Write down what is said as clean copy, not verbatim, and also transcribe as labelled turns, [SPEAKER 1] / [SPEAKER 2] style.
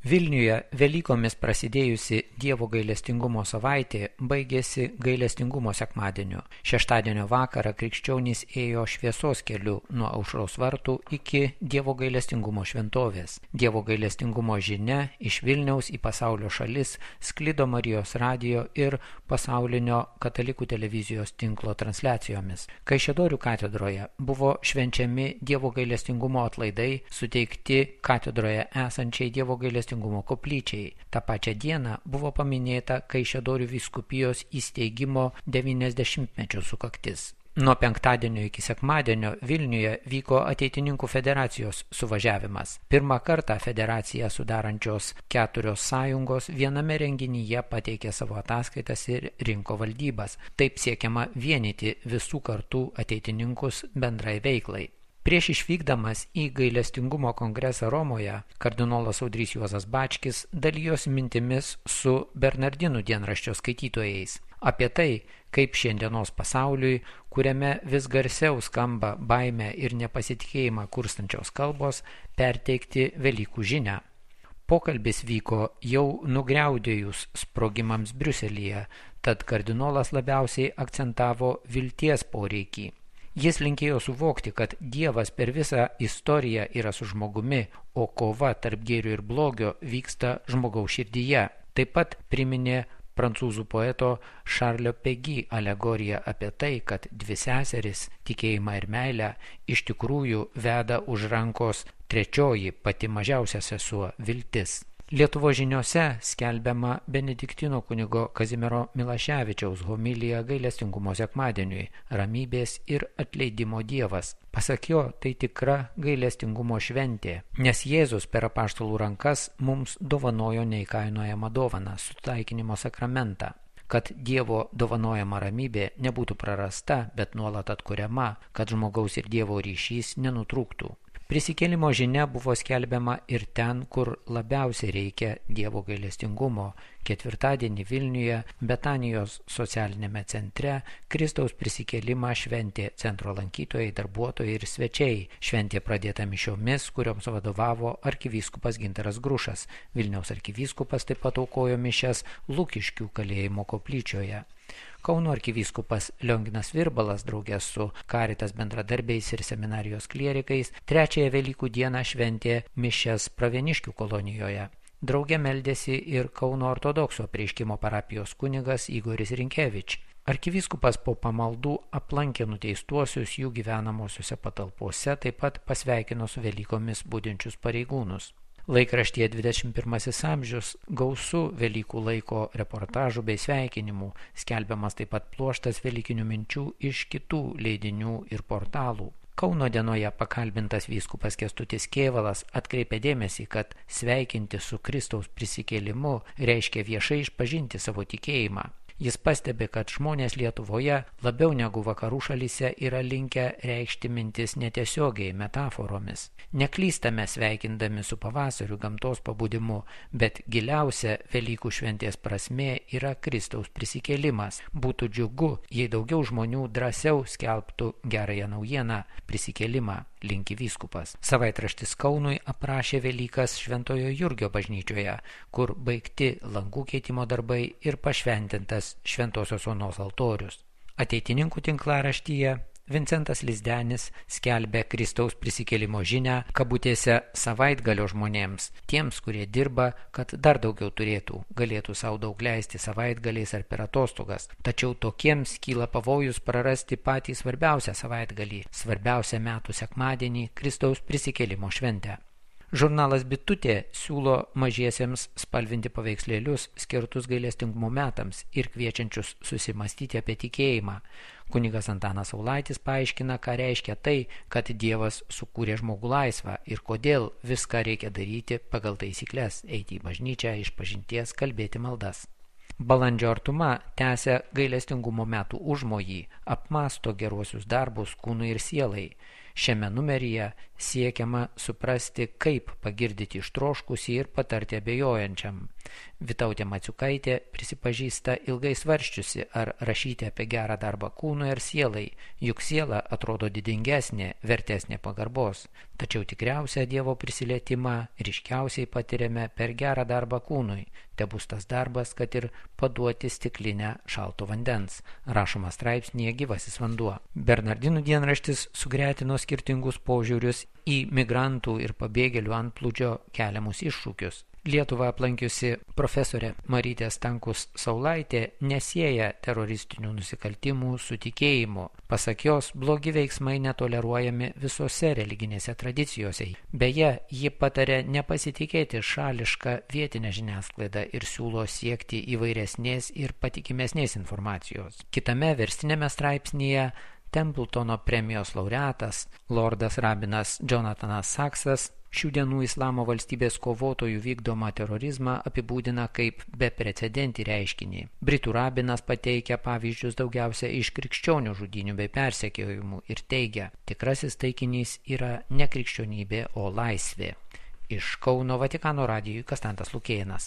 [SPEAKER 1] Vilniuje Velykomis prasidėjusi Dievo gailestingumo savaitė baigėsi gailestingumo sekmadieniu. Šeštadienio vakarą krikščionys ėjo šviesos keliu nuo Aušros vartų iki Dievo gailestingumo šventovės. Dievo gailestingumo žinia iš Vilniaus į pasaulio šalis sklido Marijos radijo ir pasaulinio katalikų televizijos tinklo transliacijomis. Kaišiadorių katedroje buvo švenčiami Dievo gailestingumo atlaidai suteikti katedroje esančiai Dievo gailestingumo koplyčiai. Ta pačia diena buvo paminėta Kaišiadorių vyskupijos įsteigimo 90-mečio sukaktis. Nuo penktadienio iki sekmadienio Vilniuje vyko Ateitininkų federacijos suvažiavimas. Pirmą kartą federaciją sudarančios 4 sąjungos viename renginyje pateikė savo ataskaitas ir rinko valdybas. Taip siekiama vienyti visų kartų ateitininkus bendrai veiklai. Prieš išvykdamas į gailestingumo kongresą Romoje, kardinolas Audrys Juozas Bačkis dalijosi mintimis su Bernardinų dienraščio skaitytojais apie tai, kaip šiandienos pasauliui, kuriame vis garsiau skamba baimę ir nepasitikėjimą kurstančios kalbos, perteikti Velykų žinią. Pokalbis vyko jau nugriaudėjus sprogimams Briuselyje, tad kardinolas labiausiai akcentavo vilties poreikį. Jis linkėjo suvokti, kad Dievas per visą istoriją yra su žmogumi, o kova tarp gėrio ir blogio vyksta žmogaus širdyje. Taip pat priminė prancūzų poeto Šarlio Pegi alegoriją apie tai, kad dvi seseris, tikėjimą ir meilę, iš tikrųjų veda už rankos trečioji, pati mažiausia sesuo – viltis. Lietuvos žiniose skelbiama Benediktino kunigo Kazimiero Milaševičiaus homilija gailestingumo sekmadieniui – ramybės ir atleidimo Dievas. Pasak jo, tai tikra gailestingumo šventė, nes Jėzus per apaštalų rankas mums dovanojo neįkainojamą dovaną – sutaikinimo sakramentą. Kad Dievo dovanojama ramybė nebūtų prarasta, bet nuolat atkuriama, kad žmogaus ir Dievo ryšys nenutrūktų. Prisikėlimo žinia buvo skelbiama ir ten, kur labiausiai reikia Dievo gailestingumo. Ketvirtadienį Vilniuje, Betanijos socialinėme centre, Kristaus prisikėlimą šventė centro lankytojai, darbuotojai ir svečiai. Šventė pradėta mišiomis, kurioms vadovavo arkivyskupas Gintaras Grušas. Vilniaus arkivyskupas taip pat aukojo mišias Lukiškių kalėjimo koplyčioje. Kauno arkivyskupas Lionginas Virbalas draugės su Caritas bendradarbiais ir seminarijos klierikais trečiąją Velykų dieną šventė mišias Pravieniškių kolonijoje. Drauge meldėsi ir Kauno ortodoksų apreiškimo parapijos kunigas Igoris Rinkevič. Arkivyskupas po pamaldų aplankė nuteistuosius jų gyvenamosiuose patalpose, taip pat pasveikino su Velykomis budinčius pareigūnus. Laikraštyje 21 amžius gausu Velykų laiko reportažų bei sveikinimų, skelbiamas taip pat pluoštas velykinių minčių iš kitų leidinių ir portalų. Kauno dienoje pakalbintas vyskupas Kęstutis Kėvalas atkreipė dėmesį, kad sveikinti su Kristaus prisikėlimu reiškia viešai išpažinti savo tikėjimą. Jis pastebi, kad žmonės Lietuvoje labiau negu vakarų šalyse yra linkę reikšti mintis netiesiogiai metaforomis. Neklystame sveikindami su pavasariu gamtos pabudimu, bet giliausia Velykų šventės prasmė yra Kristaus prisikėlimas. Būtų džiugu, jei daugiau žmonių drąsiau skelbtų gerąją naujieną prisikėlimą, linki vyskupas. Savaitraštis Kaunui aprašė Velykas Šventojo Jurgio bažnyčioje, kur baigti langų keitimo darbai ir pašventintas Šventosios Onos altorius. Ateitininkų tinklaraštyje Vincentas Lizdenis skelbė Kristaus prisikėlimo žinią kabutėse savaitgalio žmonėms, tiems, kurie dirba, kad dar daugiau turėtų, galėtų savo daug leisti savaitgaliais ar per atostogas. Tačiau tokiems kyla pavojus prarasti patį svarbiausią savaitgalį, svarbiausią metų sekmadienį Kristaus prisikėlimo šventę. Žurnalas Bitutė siūlo mažiesiems spalvinti paveikslėlius skirtus gailestingumo metams ir kviečiančius susimastyti apie tikėjimą. Kunigas Antanas Saulaitis paaiškina, ką reiškia tai, kad Dievas sukūrė žmogų laisvą ir kodėl viską reikia daryti pagal taisykles, eiti į bažnyčią, išpažinties, kalbėti maldas. Balandžio artuma tęsia gailestingumo metų užmojį, apmąsto geruosius darbus kūnui ir sielai. Šiame numeryje siekiama suprasti, kaip pagirdyti ištroškusį ir patarti abejojančiam. Vytautė Maciukaitė prisipažįsta ilgai svarsčiusi, ar rašyti apie gerą darbą kūnui ar sielai, juk siela atrodo didingesnė, vertesnė pagarbos. Tačiau tikriausią Dievo prisilietimą ryškiausiai patiriame per gerą darbą kūnui. Tebus tas darbas, kad ir paduoti stiklinę šalto vandens. Rašoma straipsnėje Gyvasis vanduo. Bernardinų dienraštis sugretino skirtingus požiūrius į migrantų ir pabėgėlių antplūdžio keliamus iššūkius. Lietuvą aplankiusi profesorė Marytė Stankus Saulaitė nesieja teroristinių nusikaltimų su tikėjimu. Pasak jos, blogi veiksmai netoleruojami visose religinėse tradicijose. Beje, ji patarė nepasitikėti šališką vietinę žiniasklaidą ir siūlo siekti įvairesnės ir patikimesnės informacijos. Kitame verstinėme straipsnyje Templetono premijos laureatas, lordas rabinas Jonathanas Saksas, šių dienų islamo valstybės kovotojų vykdomą terorizmą apibūdina kaip beprecedentį reiškinį. Britų rabinas pateikia pavyzdžius daugiausia iš krikščionių žudynių bei persekiojimų ir teigia, tikrasis taikinys yra ne krikščionybė, o laisvė. Iš Kauno Vatikano radijui Konstantas Lukėnas.